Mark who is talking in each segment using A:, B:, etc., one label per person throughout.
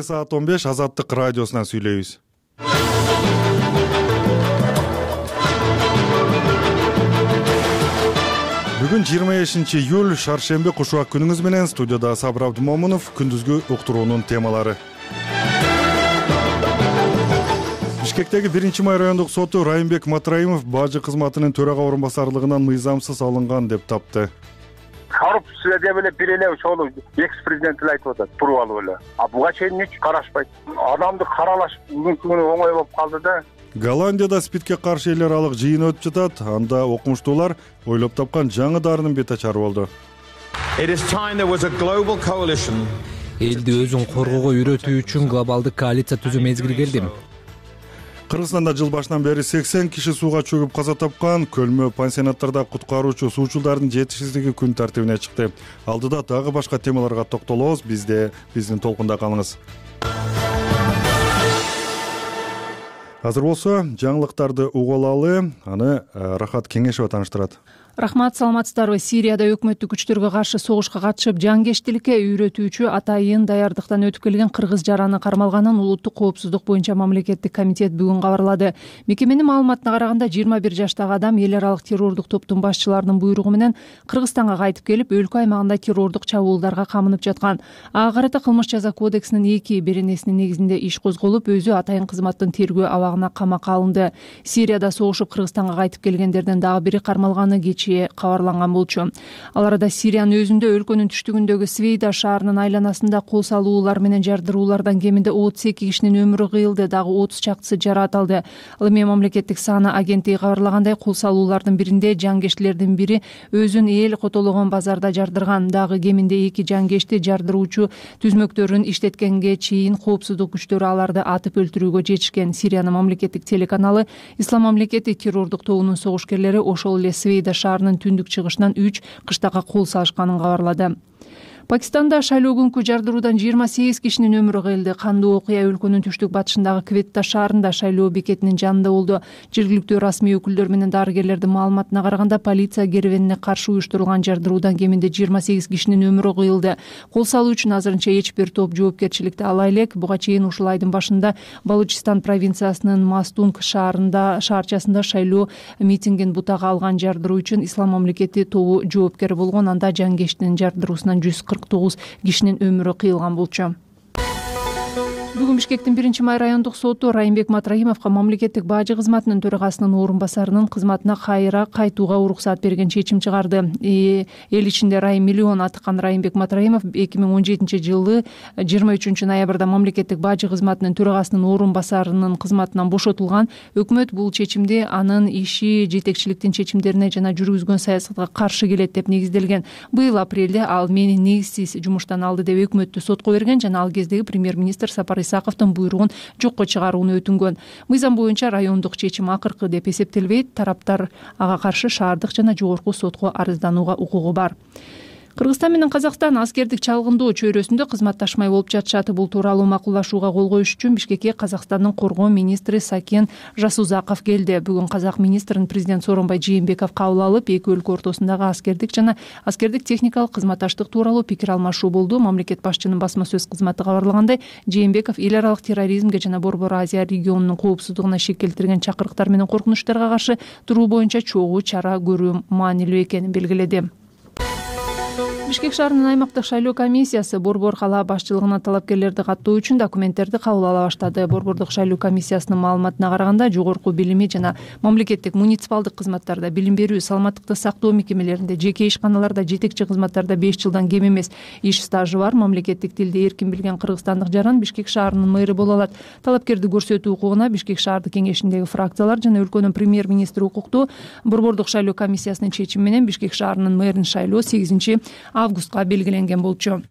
A: Саат 15 Азаттык радиосунан сүйлөйбүз. Бүгүн 25-июль шаршемби кушубак күнүңүз менен студияда Сабыр Абдымомунов. Күндүзгү уктуруунун темалары. Бишкектеги 1-май райондук соту Райымбек Матраимов бажы кызматынын төрага орун-басарлыгынан мыйзамсыз алынган деп тапты.
B: Коррупция деп эле бир эле ошол экс-президент эле айтып атат, туруп эле. Буга чейин эч карашпайт. Адамды каралаш бүгүнкү күнү оңой болуп калды да.
A: Голландияда СПИДке каршы эл аралык жыйын өтүп жатат. Анда окумуштуулар ойлоп тапкан жаңы дарынын бет ачары болду.
C: Элди өзүн коргоого үйрөтүү үчүн глобалдык коалиция түзүү мезгили келди.
A: Кыргызстанда жыл башынан бери 80 киши сууга чөгүп каза тапкан. Көлмө пансионаттарда куткаруучу суучулдардын жетишсиздиги күн тартибине чыкты. Алдыда дагы башка темаларга токтолобуз. Биздин толкунда калыңыз. Азыр болсо жаңылыктарды угуп алалы. Аны Рахат Кеңешева тааныштырат.
D: Рахмат, саламатсыздарбы? Сирияда өкмөттүк күчтөргө каршы согушка катышып, жангештиликке үйрөтүүчү атайын даярдыктан өтүп келген кыргыз жараны кармалганын Улуттук коопсуздук боюнча мамлекеттик комитет бүгүн кабарлады. Мекеменин маалыматына караганда 21 жаштагы адам эл аралык террордук топтун башчыларынын буйругу менен Кыргызстанга кайтып келип, өлкө аймагында террордук чабуулдарга камынып жаткан. Ага карата кылмыш жаза кодексинин 2 беренесинин негизинде иш козголуп, өзү атайын кызматтын тергөө абагына камакка алынды. Сирияда согушуп Кыргызстанга кайтып келгендерден дагы бири кармалганы кабарланган болчу. Ал арада Сириянын өзүндө өлкөнүн түштүгүндөгү Свейда шаарынын айланасында кол салуулар менен жардыруулардан кеминде 32 кишинин өмүрү кыйылды, дагы 30 чактысы жараат алды. Ал эми мамлекеттик саана агенттиги кабарлагандай, кол салуулардын биринде жангештилердин бири өзүн эл котологон базарда жардырган. Дагы кеминде 2 жангешти жардыруучу түзмөктөрүн иштеткенге чейин коопсуздук күчтөрү аларды атып өлтүрүүгө жетишкен. Сириянын мамлекеттик телеканалы Ислам мамлекети террордук тобунун согушкерлери ошол эле Свейда шаарынын түндүк чыгышынан 3 кыштакка кол салышканын кабарлады. Пакистанда шайлоо күнкү жардыруудан 28 кишинин өмүрү кыйылды. Кандуу окуя өлкөнүн түштүк батышындагы Кветта шаарында шайлоо бекетинин жанында болду. Жергиликтүү расмий өкүлдөр менен дарыгерлердин маалыматына караганда, полиция керебенине каршы уюштурулган жардыруудан кеминде 28 кишинин өмүрү кыйылды. Кол салуу үчүн азырынча эч бир топ жоопкерчиликти ала элек. Буга чейин ушул айдын башында Балучистан провинциясынын Мастунг шаарчасында шайлоо митингин бутага алган жардыруу үчүн Ислам мамлекети тобу жоопкер болгон. Анда жангештин жардыруусунан 149 кишинин өмүрү кыйылган болчу. Бүгүн Бишкектин 1-май райондук соту Райымбек Матраимовго мамлекеттик бажы кызматынын төрагасынын орун басарынын кызматына кайра кайтууга уруксат берген чечим чыгарды. Эл ичинде Райым миллион атыкан Райымбек Матраимов 2017-жылы 23 ноябрда мамлекеттик бажы кызматынын төрагасынын орун басарынын кызматынан бошотулган. Өкмөт бул чечимди анын иши жетекчиликтин чечимдерине жана жүргүзгөн саясатка каршы келет деп негизделген. Быйыл апрелде ал мени негизсиз жумуштан алды деп өкмөттү сотко берген жана ал кездеги премьер-министр Сапар Исаковдун буйругун жокко чыгарууну өтүнгөн. Мыйзам боюнча райондук чечим акыркы деп эсептелбейт. Тараптар ага каршы шаардык жана жогорку сотко арызданууга укугу бар. Кыргызстан менен Казакстан аскердик чалгындоо чөйрөсүндө кызматташмай болуп жатышат. Бул тууралуу макулдашууга кол коюш үчүн Бишкекке Казакстандын коргоо министри Сакен Жасузаков келди. Бүгүн казак министрин президент Сооронбай Жээнбеков кабыл алып, эки өлкө ортосундагы аскердик жана аскердик техникалык кызматташтык тууралуу пикир алмашуу болду. Мамлекет башчынын басма сөз кызматы кабарлагандай, Жээнбеков эл аралык терроризмге жана Борбор Азия регионунун коопсуздугуна шек келтирген чакырыктар менен коркунучтарга каршы туруу боюнча чогуу чара көрүү маанилүү экенин белгиледи. Бишкек шаарынын аймактык шайлоо комиссиясы Борбор калаа башчылыгына талапкерлерди каттоо үчүн документтерди кабыл ала баштады. Борбордук шайлоо комиссиясынын маалыматына караганда, жогорку билими жана мамлекеттик муниципалдык кызматтарда, билим берүү, саламаттыкты сактоо мекемелеринде, жеке ишканаларда, жетекчи кызматтарда 5 жылдан кем эмес иш стажы бар мамлекеттик тилди эркин билген кыргызстандык жаран Бишкек шаарынын мэрі боло алат. Талапкерди көрсөтүү укугуна Бишкек шаардык кеңешиндеги фракциялар жана өлкөнүн премьер-министри укуктуу. Борбордук шайлоо комиссиясынын чечими менен Бишкек шаарынын мэрин шайлоо 8 августка белгиленген болчу.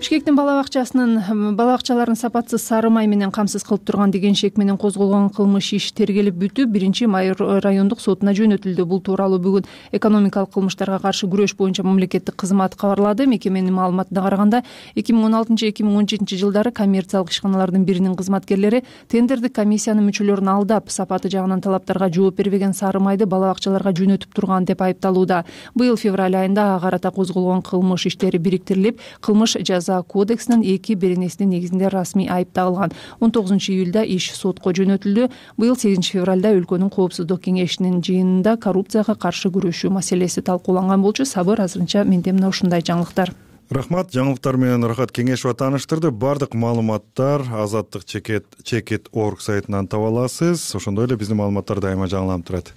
D: Бишкектин балабакчаларын сапатсыз сары май менен камсыз кылып турган деген шек менен козголгон кылмыш иш тергелип бүтүп, 1-май райондук сотуна жөнөтүлдү. Бул тууралуу бүгүн экономикалык кылмыштарга каршы күрөш боюнча мамлекеттик кызмат кабарлады. Мекеменин маалыматына караганда, 2016-2017 жылдары коммерциялык ишканалардын биринин кызматкерлери тендердик комиссиянын мүчөлөрүн алдап, сапаты жагынан талаптарга жооп бербеген сары майды балабакчаларга жөнөтүп турган деп айыпталууда. Быйыл февраль айында ага карата козголгон кылмыш иштери бириктирилип, кылмыш жаза жаза кодексинин 2 беренесинин негизинде расмий айып тагылган. 19-июлда иш сотко жөнөтүлдү. Быйыл 8-февралда өлкөнүн коопсуздук кеңешинин жыйынында коррупцияга каршы күрөшүү маселеси талкууланган болчу. Сабыр, азырынча менде мына ушундай жаңылыктар.
A: Рахмат, жаңылыктар менен Рахат Кеңешова тааныштырды. Бардык маалыматтар Азаттык Чекет.org сайтынан таба аласыз. Ошондой эле биздин маалыматтар дайыма жаңыланып турат.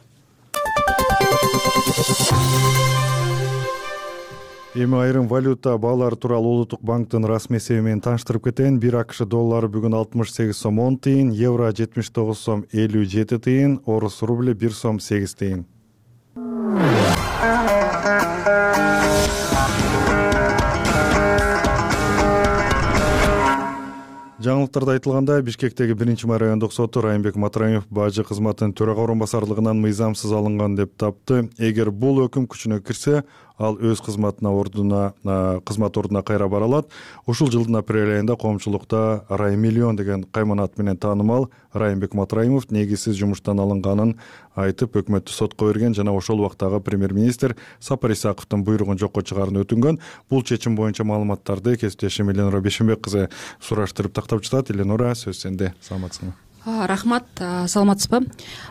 A: Эми айрым валюта баалары тууралуу Улуттук банктын расмий эсеби менен тааныштырып кетейин. 1 АКШ доллары бүгүн 68 сом 10 тыйын, евро 79 сом 57 тыйын, орус рубль 1 сом 8 тыйын. Жаңылыктарда айтылгандай, Бишкектеги 1-май райондук соту Райымбек Матраимов бажы кызматынын төрага орун басарлыгынан мыйзамсыз алынган деп тапты. Эгер бул өкүм күчүнө кирсе, ал өз кызмат ордуна кайра бара алат. Ушул жылдын апрель айында коомчулукта Рай миллион деген кайман ат менен таанымал Райымбек Матраимов негизсиз жумуштан алынганын айтып, өкмөттү сотко берген жана ошол убактагы премьер-министр Сапар Исаковдун буйругун жокко чыгаруун өтүнгөн. Бул чечим боюнча маалыматтарды кесиптешим Эленора Бешенбек кызы сураштырып тактап жатат. Эленора, сөз сенде. Саламатсыңбы?
E: Рахмат, саламатсызбы?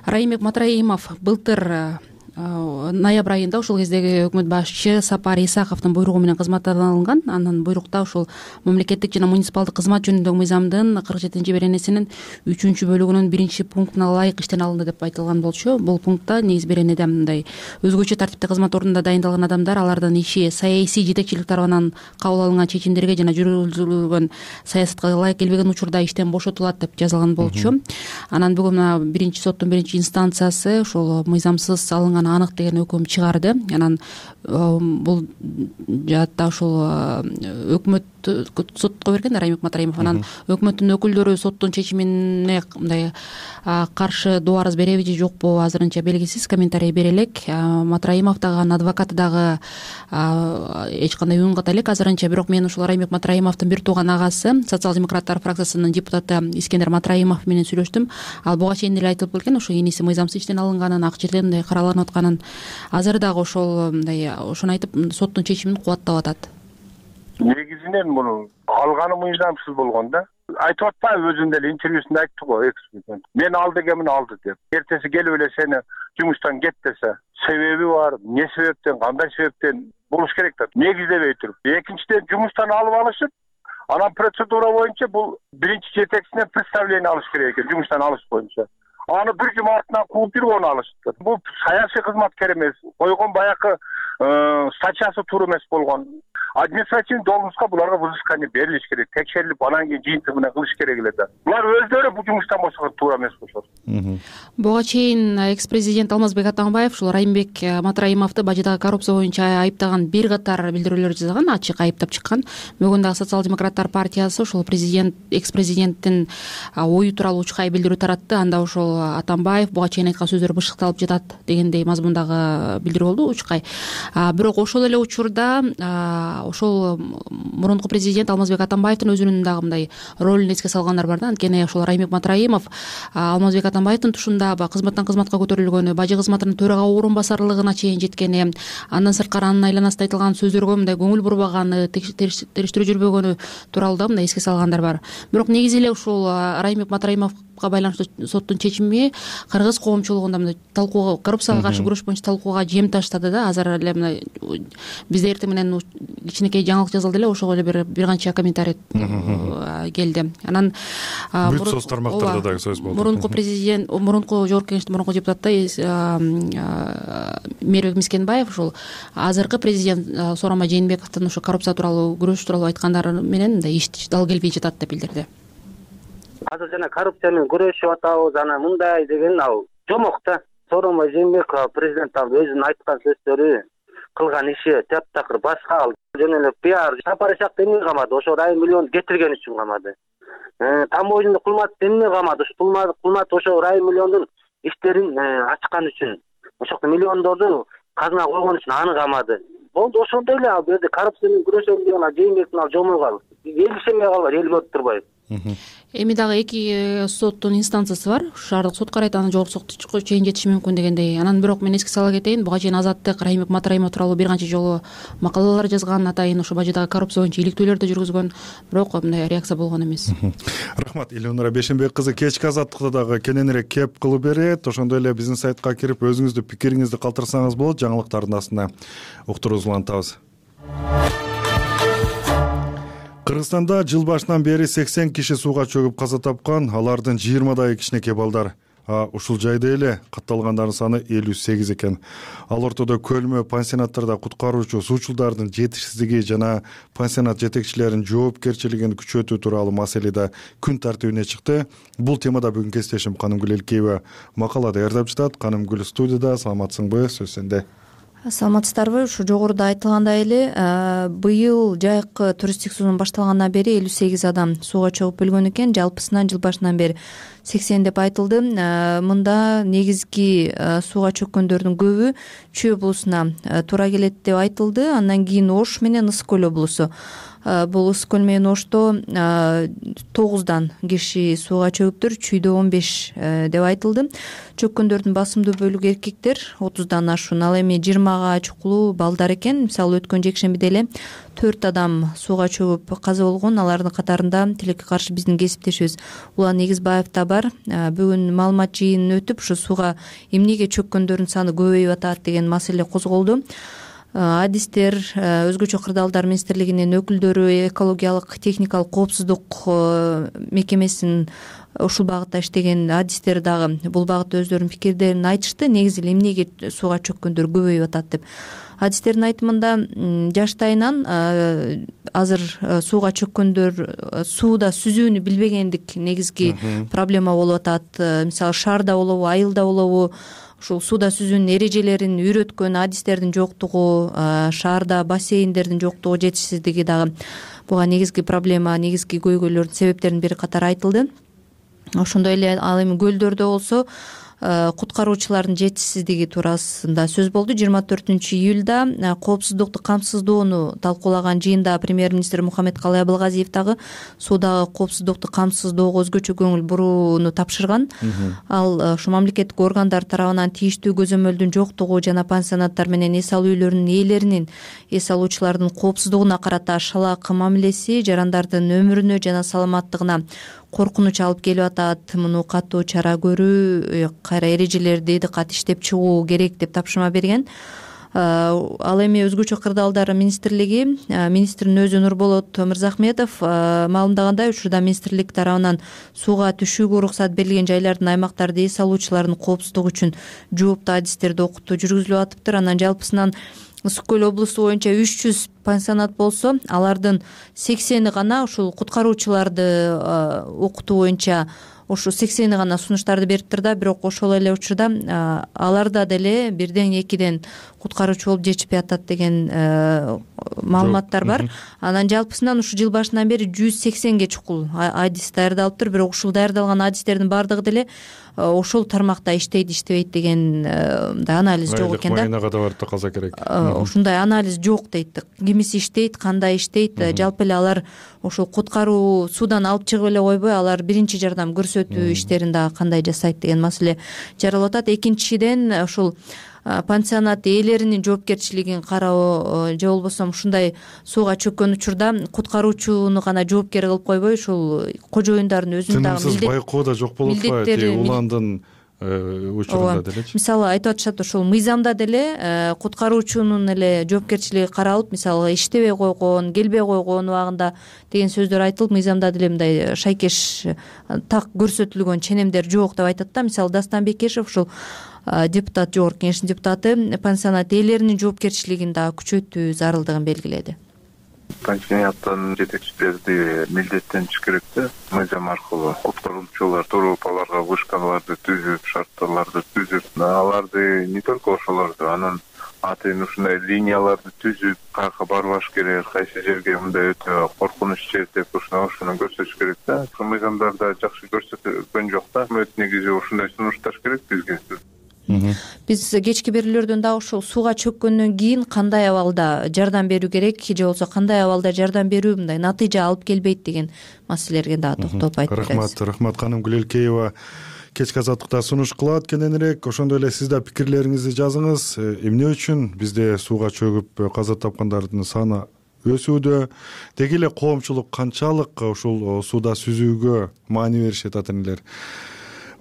E: Райымбек Матраимов былтыр ноябрь айында ушул кездеги өкмөт башчы Сапар Исаковдун буйругу менен кызматтан алынган. Анын буйрукта ушул мамлекеттик жана муниципалдык кызмат жөнүндөгү мыйзамдын 47 беренесинин 3-бөлүгүнүн 1-пунктуна ылайык иштен алынды деп айтылган болчу. Бул пунктта негиз беренеде мындай: өзгөчө тартипте кызмат ордунда дайындалган адамдар алардын иши саясий жетекчилик тарабынан кабыл алынган чечимдерге жана жүргүзүлгөн саясатка ылайык келбеген учурда иштен бошотулат деп жазылган болчу. Анан бүгүн 1-соттун 1-инстанциясы ушул мыйзамсыз алынган анык деген өкүм чыгарды. Анан бул жаатта ушул өкмөт сотко берген Райымбек Матраимов. Анан өкмөттүн өкүлдөрү соттун чечимине мындай каршы доо арыз береби же жокпу азырынча белгисиз, комментарий бере элек. Матраимов дагы анын адвокаты дагы эч кандай үн ката элек азырынча. Бирок мен ушул Райымбек Матраимовдун бир тууган агасы, социал-демократтар фракциясынын депутаты Искендер Матраимов менен сүйлөштүм. Ал буга чейин эле айтылып келген, ошо иниси мыйзамсыз иштен алынганын, ак жерден мындай караланып атканын. Азыр дагы ошол мындай ошону айтып, соттун чечимин кубаттап атат.
B: Негизинен муну алганы мыйзамсыз болгон да. Айтып атпайбы, өзүнүн эле интервьюсунда айтты го, экс-президент. Мен алды дегенмин, алды деп. Эртеси келип эле сени жумуштан кет десе, себеби бар, эмне себептен, кандай себептен болуш керек да. Негиздебей туруп. Экинчиден, жумуштан алып алышып, анан процедура боюнча бул биринчи жетекчисинен представление алыш керек экен, жумуштан алыш боюнча. Аны бир жума артынан кууп жүрүп оны алышты. Бул саясий кызматкер эмес, койгон баягы статьясы туура эмес болгон. Административный должностька буларга взыскание берилиш керек, текшерилип, анан кийин жыйынтыгы менен кылыш керек эле да. Булар өздөрү бул жумуштан бошогон туура эмес болушот.
E: Буга чейин экс-президент Алмазбек Атамбаев ушул Райымбек Матраимовду бажыдагы коррупция боюнча айыптаган бир катар билдирүүлөр жасаган, ачык айыптап чыккан. Бүгүн дагы социал-демократтар партиясы ушул экс-президенттин ою тууралуу учкай билдирүү таратты. Анда ушул Атамбаев буга чейин айткан сөздөр бышыкталып жатат дегендей мазмундагы билдирүү болду, учкай. Бирок ошол эле учурда ошол мурунку президент Алмазбек Атамбаевдин өзүнүн дагы мындай ролун эске салгандар бар да. Анткени ошол Райымбек Матраимов Алмазбек Атамбаевдин тушунда кызматтан кызматка көтөрүлгөнү, бажы кызматынын төрага орун басарлыгына чейин жеткени, андан сырткары анын айланасында айтылган сөздөргө мындай көңүл бурбаганы, териштирүү жүрбөгөнү тууралуу да мындай эске салгандар бар. Бирок негизи эле ушул Райымбек Матраимовго байланыштуу соттун чечими кыргыз коомчулугунда мындай талкууга, коррупцияга каршы күрөш боюнча талкууга жем таштады да. Азыр эле мындай бизде эртең менен кичинекей жаңылык жазылды эле, ошого эле бир канча комментарий келди. Анан
A: бүт соц тармактарда дагы сөз болду.
E: Мурунку президент, мурунку жогорку кеңештин мурунку депутаты Мээрбек Мискенбаев ушул азыркы президент Сооронбай Жээнбековдун ушу коррупция тууралуу, күрөш тууралуу айткандары менен мындай иш дал келбей жатат деп билдирди.
F: Азыр жана коррупция менен күрөшүп атабыз, анан мындай деген ал жомок да. Сооронбай Жээнбеков президент өзүнүн айткан сөздөрү, кылган иши таптакыр башка, ал жөн эле пиар. Сапар Исаковду эмне камады? Ошо Рай миллион кетирген үчүн камады. Тамойдун Кулматовду эмне камады? Кулматов ошо Рай миллиондун иштерин ачкан үчүн, ошол миллиондорду казына койгон үчүн аны камады. Болду, ошондой эле ал жерде коррупция менен күрөшөм деген ал Жээнбектин ал жомогу ал. Эл ишенбей калбайт, эл көрүп турбайбы?
E: Эми дагы 2 соттун инстанциясы бар. Шаардык сот карайт, анан жогорку сотко чейин жетиши мүмкүн дегендей. Анан бирок мен эске сала кетейин, буга чейин Азаттык Райымбек Матраимов тууралуу бир канча жолу макалалар жазган, атайын ошо бажыдагы коррупция боюнча иликтөөлөр да жүргүзгөн, бирок мындай реакция болгон эмес.
A: Рахмат. Элнура Бешенбек кызы кечки Азаттыкта дагы кененирээк кеп кылып берет. Ошондой эле биздин сайтка кирип өзүңүздүн пикириңизди калтырсаңыз болот. Жаңылыктардын астына уктуруңузду улантабыз. Кыргызстанда жыл башынан бери 80 киши сууга чөгүп каза тапкан, алардын 20дайы кичинекей балдар. Ушул жайда эле катталгандардын саны 58 экен. Ал ортодо көлмө пансионаттарда куткаруучу суучулдардын жетишсиздиги жана пансионат жетекчилеринин жоопкерчилигин күчөтүү тууралуу маселе да күн тартибине чыкты. Бул темада бүгүн кесиптешим Канымгүл Элкеева макала даярдап жатат. Канымгүл студияда. Саламатсыңбы? Сөз сенде.
G: Саламатсыздарбы? Ушу жогоруда айтылгандай эле быйыл жайкы туристтик сезон башталгандан бери 58 адам сууга чөгүп өлгөн экен. Жалпысынан жыл башынан бери 80 деп айтылды. Мында негизги сууга чөккөндөрдүн көбү Чүй облусуна туура келет деп айтылды. Андан кийин Ош менен Ысык көл облусу. Бул Ысык көл менен Ошто 9дан киши сууга чөгүптүр, Чүйдө 15 деп айтылды. Чөккөндөрдүн басымдуу бөлүгү эркектер, 30дан ашуун. Ал эми 20га чукулуу балдар экен. Мисалы өткөн жекшембиде эле 4 адам сууга чөгүп каза болгон. Алардын катарында тилекке каршы биздин кесиптешибиз Улан Негизбаев да бар. Бүгүн маалымат жыйынын өтүп, ушу сууга эмнеге чөккөндөрдүн саны көбөйүп атат деген маселе козголду. Адистер, өзгөчө кырдаалдар министрлигинин өкүлдөрү, экологиялык техникалык коопсуздук мекемесинин ушул багытта иштеген адистер дагы бул багытта өздөрүнүн пикирлерин айтышты. Негизи эле эмнеге сууга чөккөндөр көбөйүп атат деп. Адистердин айтымында жаштайынан азыр сууга чөккөндөр сууда сүзүүнү билбегендик негизги проблема болуп атат. Мисалы шаарда болобу, айылда болобу, ушул сууда сүзүүнүн эрежелерин үйрөткөн адистердин жоктугу, шаарда бассейндердин жоктугу, жетишсиздиги дагы буга негизги проблема, негизги көйгөйлөрдүн себептеринин бири катары айтылды. Ошондой эле ал эми көлдөрдө болсо куткаруучулардын жетишсиздиги туурасында сөз болду. 24-июлда коопсуздукту камсыздоону талкуулаган жыйында премьер-министр Мухаммедкалый Абылгазиев дагы суудагы коопсуздукту камсыздоого өзгөчө көңүл бурууну тапшырган. Ал ушу мамлекеттик органдар тарабынан тийиштүү көзөмөлдүн жоктугу жана пансионаттар менен эс алуу үйлөрүнүн ээлеринин эс алуучулардын коопсуздугуна карата шалаак мамилеси жарандардын өмүрүнө жана саламаттыгына коркунуч алып келип атат. Муну катуу чара көрүү, кайра эрежелерди дыкат иштеп чыгуу керек деп тапшырма берген. Ал эми өзгөчө кырдаалдар министрлиги, министрдин өзү Нурболот Мырзахметов маалымдагандай, учурда министрлик тарабынан сууга түшүүгө уруксат берилген жайлардын, аймактарды эс алуучулардын коопсуздугу үчүн жооптуу адистерди окутуу жүргүзүлүп атыптыр. Анан жалпысынан Ысык көл облусу боюнча 300 пансионат болсо, алардын 80 гана ушул куткаруучуларды окутуу боюнча ошо 80 гана сунуштарды бериптир да, бирок ошол эле учурда аларда деле 1-2 куткаруучу болуп жетишпей атат деген маалыматтар бар. Анан жалпысынан ушу жыл башынан бери 180ге чукул адис даярдалыптыр, бирок ушул даярдалган адистердин баардыгы деле ошол тармакта иштейт, иштебейт деген анализ жок экен да.
A: Майнага да барып да каза керек.
G: Ушундай анализ жок дейт. Кимиси иштейт, кандай иштейт, жалпы эле алар ошол куткаруу суудан алып чыгып эле койбой, алар биринчи жардам көрсөтүү иштерин дагы кандай жасайт деген маселе жаралып атат. Экинчиден ушул пансионат ээлеринин жоопкерчилигин кароо же болбосо ушундай сууга чөккөн учурда куткаруучуну гана жоопкер кылып койбой, ушул кожоюндардын өзүнүн дагы
A: тынымсыз байкоо да жок болуп атпайбы? Уландын учурунда делечи.
G: Мисалы айтып атышат, ошол мыйзамда деле куткаруучунун эле жоопкерчилиги каралып, мисалы иштебей койгон, келбей койгон убагында деген сөздөр айтылып, мыйзамда деле мындай шайкеш так көрсөтүлгөн ченемдер жок деп айтат да. Мисалы Дастан Бекешев, ушул депутат, жогорку кеңештин депутаты, пансионат ээлеринин жоопкерчилигин дагы күчөтүү зарылдыгын белгиледи.
H: Пансионаттын жетекчилери милдеттениш керек да, мыйзам аркылуу куткаруучулар туруп аларга вышкаларды түзүп, шарттарды түзүп, аларды не только ошолорду, анан атайын ушундай линияларды түзүп, каяка барбаш керек, кайсы жерге мындай өтө коркунуч жер деп ошону көрсөтүш керек да. Ошол мыйзамдарда жакшы көрсөтүлгөн жок да. Өкмөт негизи ушундай сунушташ керек бизге.
G: Биз кечки берүүлөрдөн дагы ушул сууга чөккөндөн кийин кандай абалда жардам берүү керек же болбосо кандай абалда жардам берүү мындай натыйжа алып келбейт деген маселелерге дагы токтолуп айтып беребиз.
A: Рахмат Каным Гүлелкеева кечки азаттыкта сунуш кылат кененирээк. Ошондой эле сиз да пикирлериңизди жазыңыз. Эмне үчүн бизде сууга чөгүп каза тапкандардын саны өсүүдө, деги эле коомчулук канчалык ушул сууда сүзүүгө маани беришет ата энелер?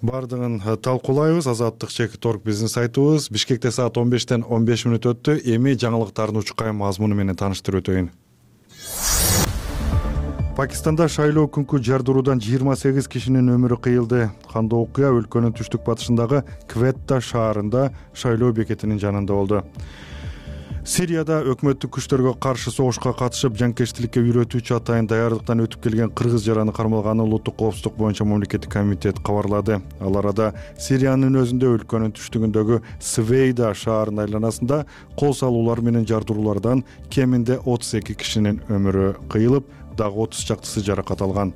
A: Бардыгын талкуулайбыз. Азаттык.org биздин сайтыбыз. Бишкекте саат 15-тен 15 мүнөт өттү. Эми жаңылыктардын учкай мазмуну менен тааныштырып өтөйүн. Пакистанда шайлоо күнкү жардыруудан 28 кишинин өмүрү кыйылды. Кандуу окуя өлкөнүн түштүк батышындагы Кветта шаарында шайлоо бекетинин жанында болду. Сирияда өкмөттүк күчтөргө каршы согушка катышып, жанкечтиликке үйрөтүүчү атайын даярдыктан өтүп келген кыргыз жараны кармалганын Улуттук коопсуздук боюнча мамлекеттик комитет кабарлады. Ал арада Сириянын өзүндө өлкөнүн түштүгүндөгү Свейда шаарынын айланасында кол салуулар менен жардыруулардан кеминде 32 кишинин өмүрү кыйылып, дагы 30 чактысы жаракат алган.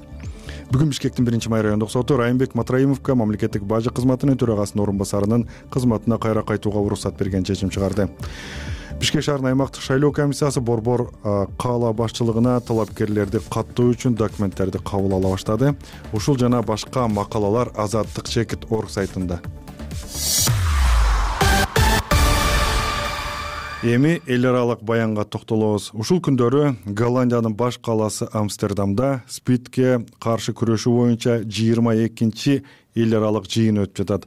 A: Бүгүн Бишкектин 1-май райондук соту Райымбек Матраимовго мамлекеттик бажы кызматынын төрагасынын орун басарынын кызматына кайра кайтууга уруксат берген чечим чыгарды. Бишкек шаарынын аймактык шайлоо комиссиясы Борбор каала башчылыгына талапкерлерди каттоо үчүн документтерди кабыл ала баштады. Ушул жана башка макалалар Азаттык.org сайтында. Эми эл аралык баянга токтолобуз. Ушул күндөрү Голландиянын баш калаасы Амстердамда СПИДке каршы күрөшүү боюнча 22-чи эл аралык жыйын өтүп жатат.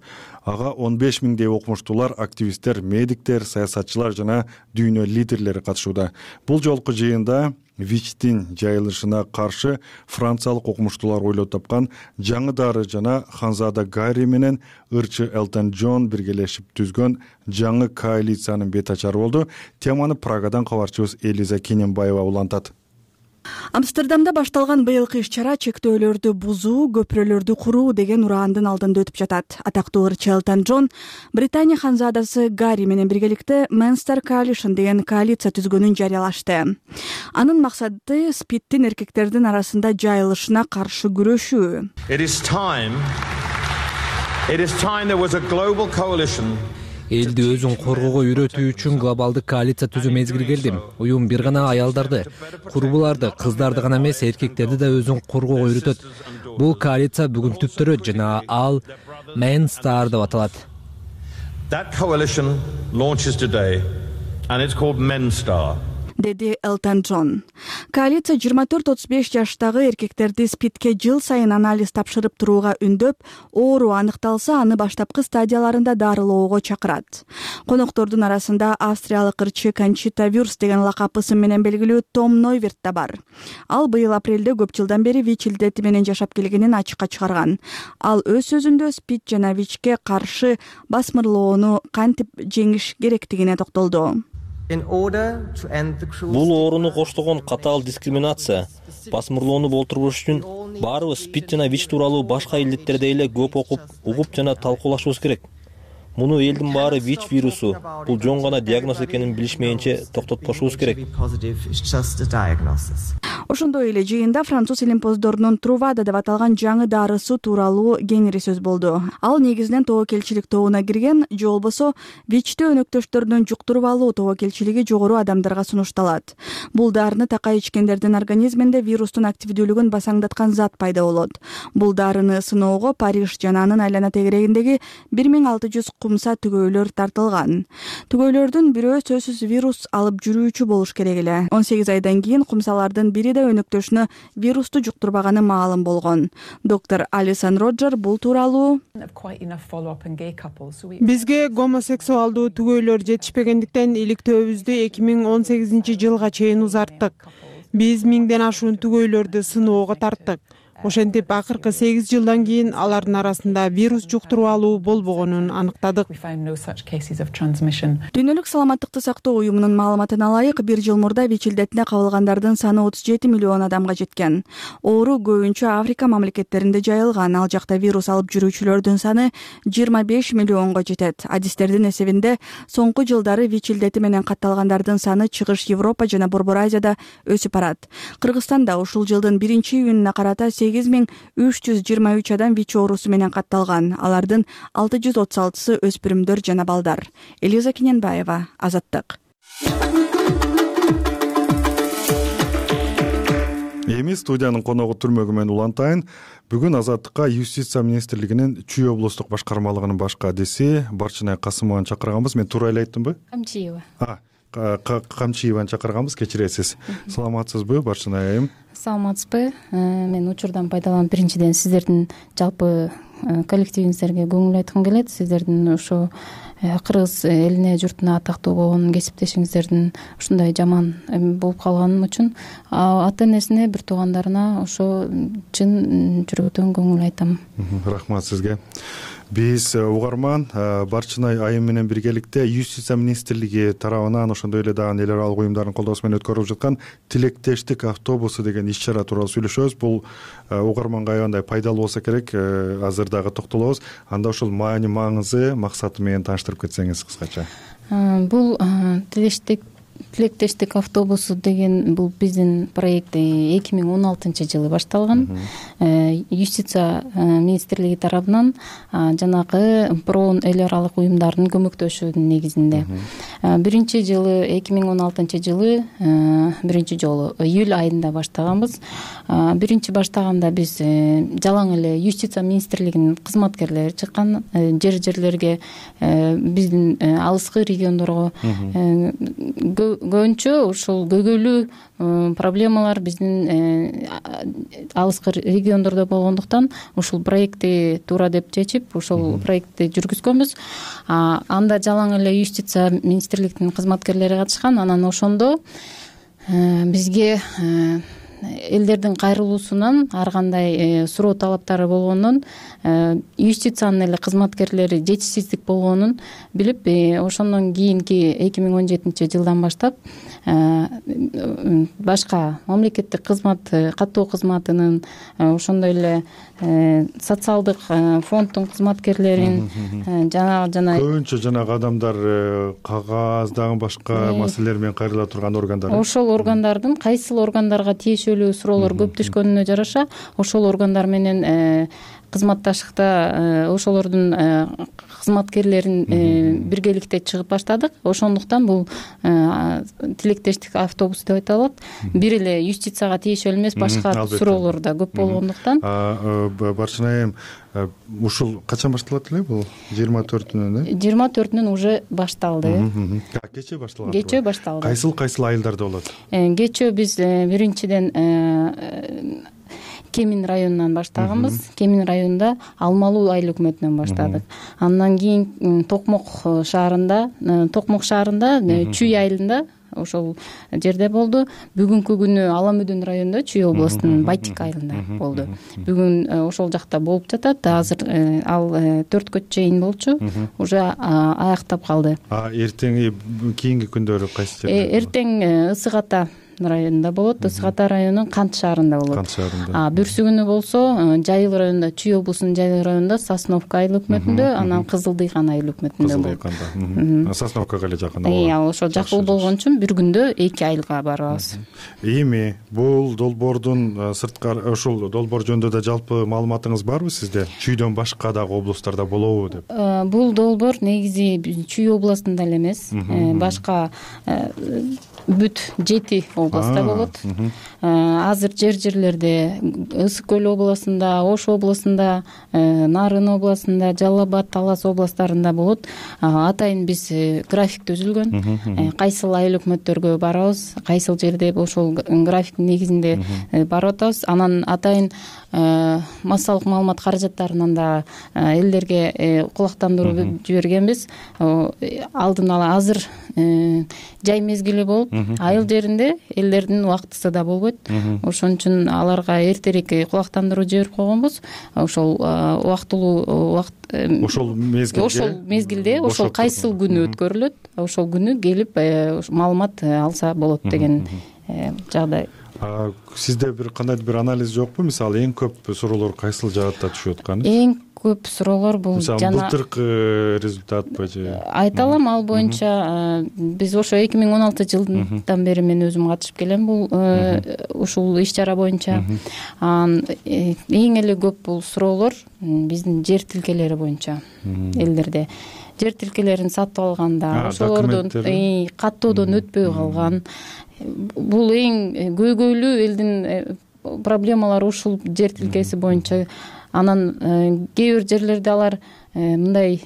A: Ага 15 миңдей окумуштуулар, активисттер, медиктер, саясатчылар жана дүйнө лидерлери катышууда. Бул жолку жыйында ВИЧтин жайылышына каршы франциялык окумуштуулар ойлоп тапкан жаңы дары жана Ханзада Гарри менен ырчы Элтон Джон биргелешип түзгөн жаңы коалициянын бет ачары болду. Теманы Прагадан кабарчыбыз Элиза Кененбаева улантат.
I: Амстердамда башталган быйылкы иш-чара чектөөлөрдү бузуу, көпүрөлөрдү куруу деген ураандын алдында өтүп жатат. Атактуу ырчы Элтон Джон Британия ханзадасы Гарри менен биргеликте Men's Coalition деген коалиция түзгөнүн жарыялашты. Анын максаты СПИДтин эркектердин арасында жайылышына каршы күрөшүү.
J: It is time there was a global coalition.
C: Элди өзүн коргоого үйрөтүү үчүн глобалдык коалиция түзүү мезгили келди. Уюм бир гана аялдарды, курбуларды, кыздарды гана эмес, эркектерди да өзүн коргоого үйрөтөт. Бул коалиция бүгүн түптөрөт жана ал Men's деп аталат.
J: That coalition launches today and it's called Men's
I: деди Элтон Джон. Коалиция 24-35 жаштагы эркектерди СПИДке жыл сайын анализ тапшырып турууга үндөп, оору аныкталса, аны баштапкы стадияларында дарылоого чакырат. Коноктордун арасында австриялык ырчы Кончита Вюрст деген лакап ысым менен белгилүү Том Нойверт да бар. Ал быйыл апрелде көп жылдан бери ВИЧ илдети менен жашап келгенин ачыкка чыгарган. Ал өз сөзүндө СПИД жана ВИЧке каршы басмырлоону кантип жеңиш керектигине токтолду.
K: Бул ооруну коштогон катаал дискриминация, басмырлоону болтуруш үчүн баарыбыз СПИД жана ВИЧ тууралуу башка илдеттердей эле көп окуп, угуп жана талкуулашыбыз керек. Муну элдин баары ВИЧ вирусу, бул жон гана диагноз экенин билишмейинче токтотпошубуз керек.
I: Ошондой эле жыйында француз илимпоздорунун Трувада деп аталган жаңы дарысы тууралуу кеңири сөз болду. Ал негизинен тобокелчилик тобуна кирген, же болбосо ВИЧтүү өнөктөштөрүнүн жуктуруп алуу тобокелчилиги жогору адамдарга сунушталат. Бул дарыны такай ичкендердин организминде вирустун активдүүлүгүн басаңдаткан зат пайда болот. Бул дарыны сыноого Париж жана анын айлана тегерегиндеги 1600 кумса түгөйлөр тартылган. Түгөйлөрдүн бирөө сөзсүз вирус алып жүрүүчү болуш керек эле. 18 айдан кийин кумсалардын бири өнөктөшүнө вирусту жуктурбаганы маалым болгон. Доктор Алисон Роджер бул тууралуу
L: бизге гомосексуалдуу түгөйлөр жетишпегендиктен иликтөөбүздү 2018 жылга чейин узарттык. Биз 1000ден ашуун түгөйлөрдү сыноого тарттык. Ошентип акыркы 8 жылдан кийин алардын арасында вирус жуктуруп алуу болбогонун аныктадык.
I: Дүйнөлүк саламаттыкты сактоо уюмунун маалыматына ылайык, 1 жыл мурда ВИЧ илдетине кабылгандардын саны 37 миллион адамга жеткен. Оору көбүнчө Африка мамлекеттеринде жайылган. Ал жакта вирус алып жүрүүчүлөрдүн саны 25 миллионго жетет. Адистердин эсебинде соңку жылдары ВИЧ илдети менен катталгандардын саны Чыгыш Европа жана Борбор Азияда өсүп барат. Кыргызстанда ушул жылдын 1-июнуна карата 8323 адам ВИЧ оорусу менен катталган. Алардын 636сы өспүрүмдөр жана балдар. Элиза Кененбаева, Азаттык.
A: Эми студиянын коногу Түрмөгүмөн Улантайын. Бүгүн Азаттыкка Юстиция министрлигинин Чүй облустук башкармалыгынын баш кадиси Барчынай Касымованы чакырганбыз. Мен туура эле айттымбы?
E: Камчиева.
A: Камчиеваны чакырганбыз, кечиресиз. Саламатсызбы, Барчынай айым?
E: Саламатсызбы. Мен учурдан пайдаланып биринчиден сиздердин жалпы коллективиңиздерге көңүл айткым келет. Сиздердин ушу кыргыз элине, журтуна атактуу болгон кесиптешиңиздердин ушундай жаман болуп калганым үчүн ата энесине, бир туугандарына ошо чын жүрөктөн көңүл айтам.
A: Рахмат сизге. Биз угарман Барчынай айым менен биргеликте Юстиция министрлиги тарабынан ошондой эле дагы эл аралык уюмдардын колдоосу менен өткөрүлүп жаткан тилектештик автобусу деген иш-чара тууралуу сүйлөшөбүз. Бул угарманга аябай пайдалуу болсо керек. Азыр дагы токтолобуз. Анда ошол маани, маңызы, максаты менен тааныштырып кетсеңиз кыскача.
E: Бул тилектештик автобусу деген бул биздин проект 2016-жылы башталган. Юстиция министрлиги тарабынан жанагы проон эл аралык уюмдардын көмөктөшүүнүн негизинде. Биринчи жылы 2016-жылы биринчи жолу июль айында баштаганбыз. Биринчи баштаганда биз жалаң эле Юстиция министрлигинин кызматкерлери чыккан, жерлерге биздин алыскы региондорго көбүнчө ушул көйгөйлүү проблемалар биздин алыскы региондордо болгондуктан ушул проектти туура деп чечип, ушул проектти жүргүзгөнбүз. Анда жалаң эле Юстиция министрлигинин кызматкерлери катышкан. Анан ошондо бизге элдердин кайрылуусунан ар кандай суроо талаптары болгонун, юстициянын эле кызматкерлери жетишсиздик болгонун билип, ошондон кийинки 2017-жылдан баштап башка мамлекеттик кызмат, каттоо кызматынын, ошондой эле социалдык фонддун кызматкерлерин жана
A: көбүнчө жанагы адамдар кагаз дагы башка маселелер менен кайрыла турган органдар.
E: Ошол органдардын кайсыл органдарга тиешелүү суроолор көп түшкөнүнө жараша ошол органдар менен кызматташыкта ошолордун кызматкерлерин биргеликте чыгып баштадык. Ошондуктан бул тилектештик автобус деп айтылат. Бир эле юстицияга тиешелүү эмес, башка суроолор да көп болгондуктан.
A: Барчынай, ушул качан башталат эле бул? 24-үнөн?
E: 24-үнөн уже башталды.
A: Кечээ башталган.
E: Кечээ башталды.
A: Кайсыл айылдарда болот?
E: Кечээ биз биринчиден Кемин районунан баштаганбыз. Кемин районунда Алмалуу айыл өкмөтүнөн баштадык. Андан кийин Токмок шаарында Чүй айылында ошол жерде болду. Бүгүнкү күнү Аламүдүн районунда Чүй областынын Байтик айылында болду. Бүгүн ошол жакта болуп жатат. Азыр ал 4кө чейин болчу. Уже аяктап калды.
A: Эртең кийинки күндөрү кайсы жерде?
E: Эртең Ысык Ата районунда болот. Ысык Ата районунун Кант шаарында болот.
A: Кант шаарында.
E: Бүрсү күнү болсо Жайыл районунда, Чүй облусунун Жайыл районунда Сосновка айыл өкмөтүндө, анан Кызылдыйкан айыл өкмөтүндө болот.
A: Кызылдыйканда. Сосновкага эле жакын.
E: Ал ошо жакын болгон үчүн бир күндө 2 айылга барабыз.
A: Эми бул долбоордун сырткары, ошол долбоор жөнүндө да жалпы маалыматыңыз барбы сизде? Чүйдөн башка дагы облустарда болобу деп?
E: Бул долбоор негизи Чүй областында эле эмес, башка бүт 7 областта болот. Азыр жерлерде Ысык көл областында, Ош областында, Нарын областында, Жалал Абад, Талас областарында болот. Атайын биз график түзүлгөн. Кайсыл айыл өкмөттөргө барабыз, кайсыл жерде ошол графиктин негизинде барып атабыз. Анан атайын массалык маалымат каражаттарынан да элдерге кулактандыруу жибергенбиз. Алдын ала азыр жай мезгили болуп, айыл жеринде элдердин убактысы да болбойт. Ошон үчүн аларга эртерээк кулактандыруу жиберип койгонбуз. Ошол убактылуу ошол мезгилде ошол кайсыл күнү өткөрүлөт, ошол күнү келип маалымат алса болот деген жагдай.
A: Сизде бир кандайдыр бир анализ жокпу? Мисалы эң көп суроолор кайсыл жаатта түшүп атканы?
M: Эң көп суроолор бул
A: жана былтыркы результатпы же?
M: Айта алам, ал боюнча биз ошо 2016 жылдан бери мен өзүм катышып келем бул ушул иш чара боюнча. Эң эле көп бул суроолор биздин жер тилкелери боюнча элдерде. Жер тилкелерин сатып алганда, ошолордун каттоодон өтпөй калган. Бул эң көйгөйлүү элдин проблемалары ушул жер тилкеси боюнча. Анан кээ бир жерлерде алар мындай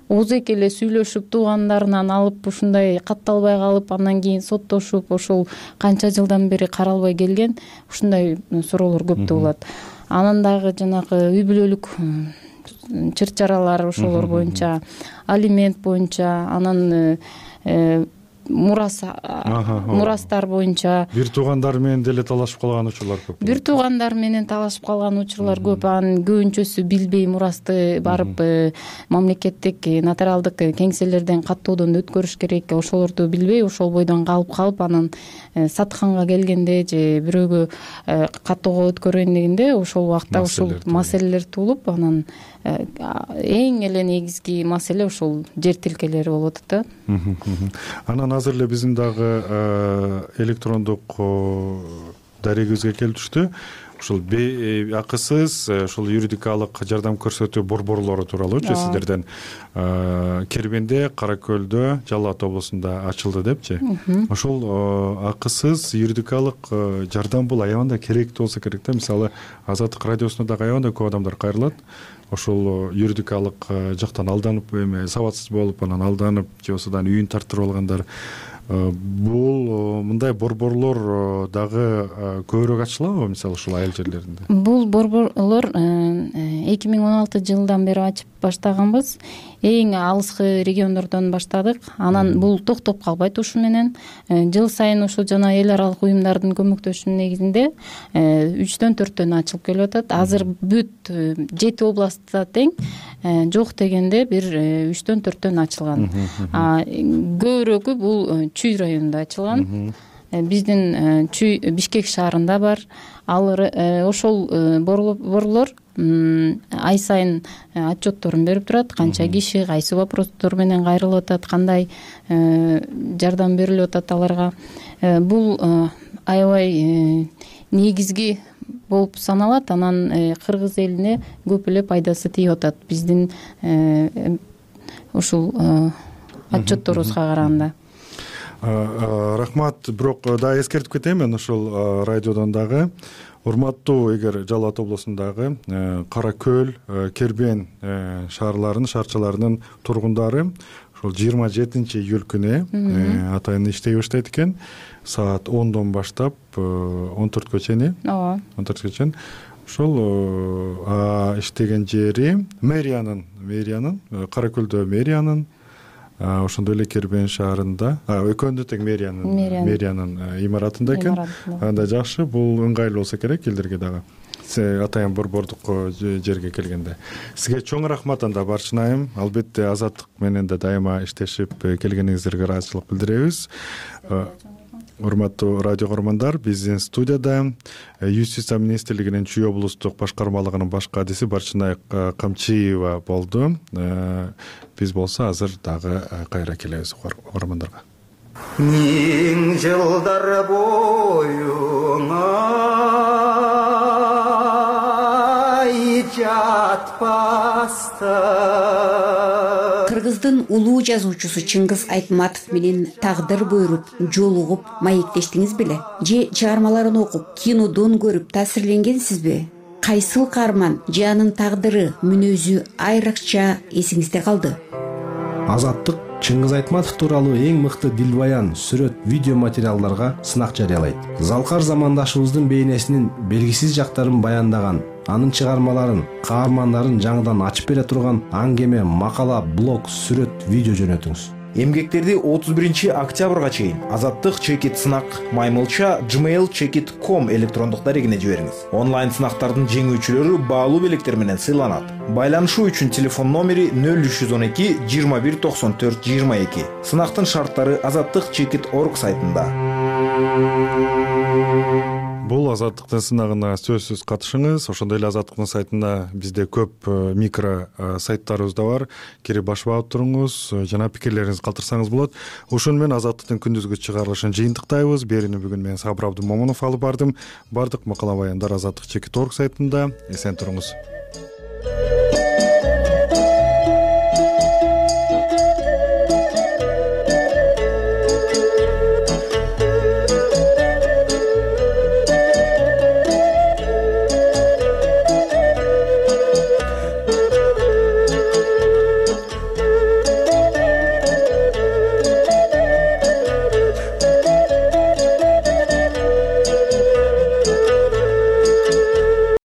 M: оозек эле сүйлөшүп туугандарынан алып ушундай катталбай калып, андан кийин соттошуп, ошол канча жылдан бери каралбай келген ушундай суроолор көптө болот. Анан дагы жанагы үй бүлөлүк чыр чаралар ошолор боюнча, алимент боюнча, анан мурастар боюнча.
A: Бир туугандар менен деле талашып калган учурлар көп.
M: Бир туугандар менен талашып калган учурлар көп. Анын көбүнчөсү билбей мурасты барып мамлекеттик нотариалдык кеңселерден каттоодон өткөрүш керек. Ошолорду билбей, ошол бойдон калып анан сатканга келгенде же бирөөгө каттоого өткөргөндөгүндө ошол убакта ушул маселелер туулуп, анан эң эле негизги маселе ошол жер тилкелери болуп атат да.
A: Анан азыр эле биздин дагы электрондук дарегибизге келип түштү. Ушул акысыз ушул юридикалык жардам көрсөтүү борборлору тууралуучу сиздерден Кербенде, Кара Көлдө, Жалал Абад облусунда ачылды депчи. Ошол акысыз юридикалык жардам бул аябында керектүү болсо керек да. Мисалы Азаттык радиосуна дагы аябында көп адамдар кайрылат. Ошол юридикалык жактан алданып, сабатсыз болуп, анан алданып, же осудан үйүн тартырып алгандар. Бул мындай борборлор дагы көбүрөөк ачылабы, мисалы ушул айыл жерлеринде?
M: Бул борборлор 2016 жылдан бери ачып баштаганбыз. Эң алыскы региондордон баштадык. Анан бул токтоп калбайт ушу менен. Жыл сайын ошо жана эл аралык уюмдардын көмөктөшүүнүн негизинде 3-төн 4төн ачылып келип атат. Азыр бүт 7 областта тең, жок дегенде бир 3-төн 4төн ачылган. Көбүрөөкү бул Чүй районунда ачылган. Биздин Чүй Бишкек шаарында бар. Ошол борборлор ай сайын отчетторун берип турат. Канча киши кайсы вопростор менен кайрылып атат, кандай жардам берилип атат аларга. Бул аябай негизги болуп саналат. Анан кыргыз элине көп эле пайдасы тийип атат биздин ушул отчетторубузга караганда.
A: Рахмат. Бирок дагы эскертип кетейин мен ушул радиодон дагы. Урматтуу, эгер Жалал Абад облусундагы Кара Көл, Кербен шаарчаларынын тургундары ошол 27-июль күнү атайын иштей баштайт экен. Саат 10дон баштап 14гө чейин. Ооба. 14гө чейин. Ошол иштеген жери мэриянын, Кара Көлдө мэриянын, ошондой эле Кербен шаарында, экөөндө тең мэриянын имаратында экен. Анда жакшы, бул ыңгайлуу болсо керек элдерге дагы. Атайын борбордук жерге келгенде. Сизге чоң рахмат анда барчынайым. Албетте Азаттык менен да дайыма иштешип келгениңиздерге ыраазычылык билдиребиз. Урматтуу радио көрөрмандар, биздин студияда Юстиция министрлигинин Чүй облустук башкармалыгынын баш кадиси Барчынай Камчиева болду. Биз болсо азыр дагы кайра келебиз көрөрмандарга.
N: Миң жылдар боюңа жатпаста.
O: Кыргыздын улуу жазуучусу Чыңгыз Айтматов менен тагдыр буйруп, жолугуп, маектештиңиз беле? Же чыгармаларын окуп, кинодон көрүп таасирленгенсизби? Кайсыл каарман же анын тагдыры, мүнөзү айрыкча эсиңизде калды?
P: Азаттык Чыңгыз Айтматов тууралуу эң мыкты дилбаян, сүрөт, видео материалдарга сынак жарыялайт. Залкар замандашыбыздын бейнесинин белгисиз жактарын баяндаган, анын чыгармаларын, каармандарын жаңыдан ачып бере турган аңгеме, макала, блог, сүрөт, видео жөнөтүңүз.
Q: Эмгектерди 31 октябрга чейин Азаттык чекит сынак маймылча gmail.com электрондук дарегине жибериңиз. Онлайн сынактардын жеңүүчүлөрү баалуу белектер менен сыйланат. Байланышуу үчүн телефон номери 0312 21 94 22. Сынактын шарттары Азаттык чекит.org сайтында.
A: бул азаттыктын сынагына сөзсүз катышыңыз. Ошондой эле азаттыктын сайтында бизде көп микро сайттарыбыз да бар. Кирип башып алып туруңуз жана пикирлериңизди калтырсаңыз болот. Ошону менен азаттыктын күндүзгү чыгарылышын жыйынтыктайбыз. Берүүнү бүгүн мен Сабыр Абдымомунов алып бардым. Бардык макала баяндар азаттык.org сайтында. Эсен туруңуз.